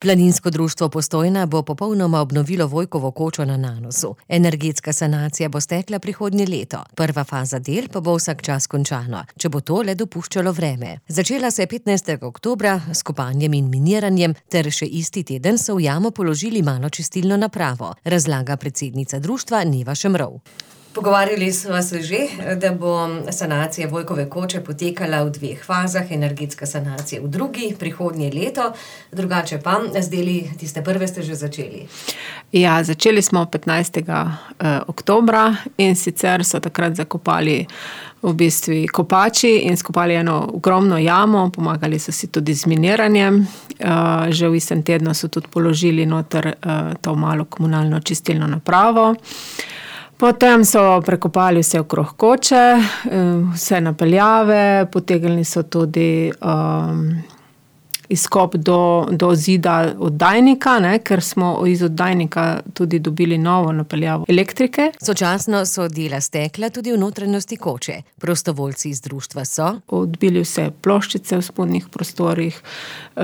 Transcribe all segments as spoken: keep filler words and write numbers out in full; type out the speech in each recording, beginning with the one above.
Planinsko društvo Postojna bo popolnoma obnovilo Vojkovo kočo na Nanosu. Energetska sanacija bo stekla prihodnje leto. Prva faza del pa bo vsak čas končana, če bo to le dopuščalo vreme. Začela se je petnajstega oktobra s kopanjem in miniranjem, ter še isti teden so v jamo položili malo čistilno napravo, razlaga predsednica društva Neva Šemrov. Pogovarjali smo se že, da bo sanacija Vojkove koče potekala v dveh fazah, energetska sanacija v drugi, prihodnje leto, drugače pa z deli tiste prve ste že začeli. Ja, začeli smo petnajstega oktobra in sicer so takrat zakopali v bistvu kopači in skopali eno ogromno jamo, pomagali so si tudi z miniranjem. Že v istem tednu so tudi položili noter to malo komunalno čistilno napravo. Potem so prekopali vse okrog koče, vse napeljave, potegnili so tudi um, izkop do, do zida oddajnika, ne, ker smo iz oddajnika tudi dobili novo napeljavo elektrike. Sočasno so dela stekla tudi v notranjosti koče. Prostovoljci iz društva so odbili vse ploščice v spodnjih prostorih,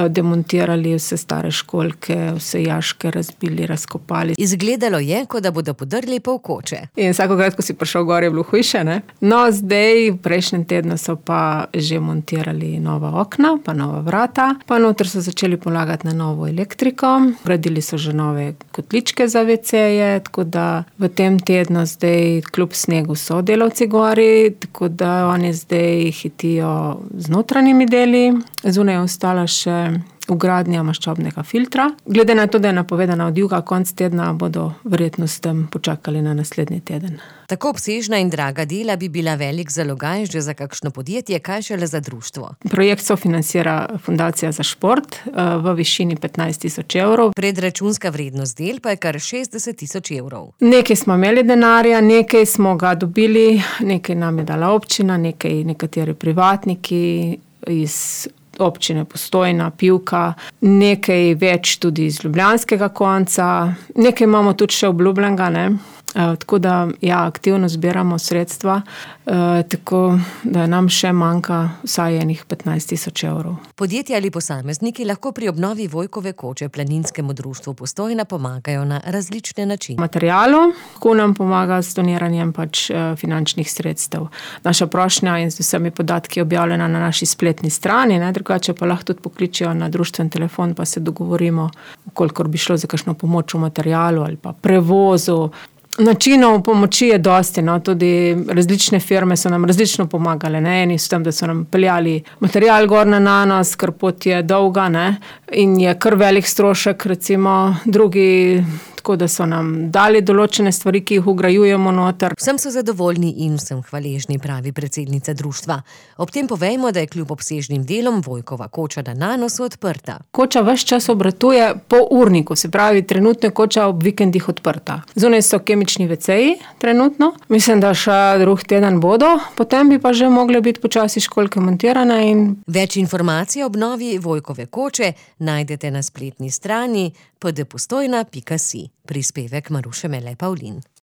demontirali vse stare školjke, vse jaške razbili, razkopali. Izgledalo je, kot da bodo podrli pol koče. In vsakokrat, ko si prišel gor, je bilo hujše, ne? No, zdaj, v prejšnjem tednu so pa že montirali nova okna, pa nova vrata, pa noter so začeli polagati na novo elektriko, gradili so že nove kotličke za veceje, tako da v tem tednu zdaj kljub snegu so delavci gori, tako da oni zdaj hitijo z notranjimi deli, zunaj je ostala še vgradnja maščobnega filtra. Glede na to, da je napovedana odjuga konec tedna, bodo verjetno s tem počakali na naslednji teden. Tako obsežna in draga dela bi bila velik zalogaj že za kakšno podjetje, kaj šele za društvo. Projekt sofinancira Fundacija za šport v višini petnajst tisoč evrov. Predračunska vrednost del pa je kar šestdeset tisoč evrov. Nekaj smo imeli denarja, nekaj smo ga dobili, nekaj nam je dala občina, nekaj nekateri privatniki iz občine Postojna, Pivka, nekaj več tudi iz ljubljanskega konca, nekaj imamo tudi še obljubljenega, ne. Tako da, ja, aktivno zbiramo sredstva, tako da nam še manjka vsaj enih petnajst tisoč evrov. Podjetja ali posamezniki lahko pri obnovi Vojkove koče Planinskemu društvu Postojna pomagajo na različne načine. Materialu, ko nam pomaga s doniranjem pač finančnih sredstev. Naša prošnja in z vsemi podatki je objavljena na naši spletni strani, ne, drugače pa lahko tudi pokličijo na društven telefon, pa se dogovorimo, kolikor bi šlo za kakšno pomoč v materialu ali pa prevozu. Načinov pomoči je dosti, no, tudi različne firme so nam različno pomagale, ne, eni s tem, da so nam peljali material gor na Nanos, ker pot je dolga, ne, in je kar velik strošek, recimo, drugi tako, da so nam dali določene stvari, ki jih vgrajujemo noter. Vsem so zadovoljni in vsem hvaležni, pravi predsednica društva. Ob tem povejmo, da je kljub obsežnim delom Vojkova koča na Nanosu odprta. Koča ves čas obratuje po urniku, se pravi, trenutno je koča ob vikendih odprta. Zunaj so kemični veceji trenutno, mislim, da še drug teden bodo, potem bi pa že mogle biti počasi školjke montirane in... Več informacij o obnovi Vojkove koče najdete na spletni strani p d postojna pika si. Prispevek Maruše Mele Pavlin.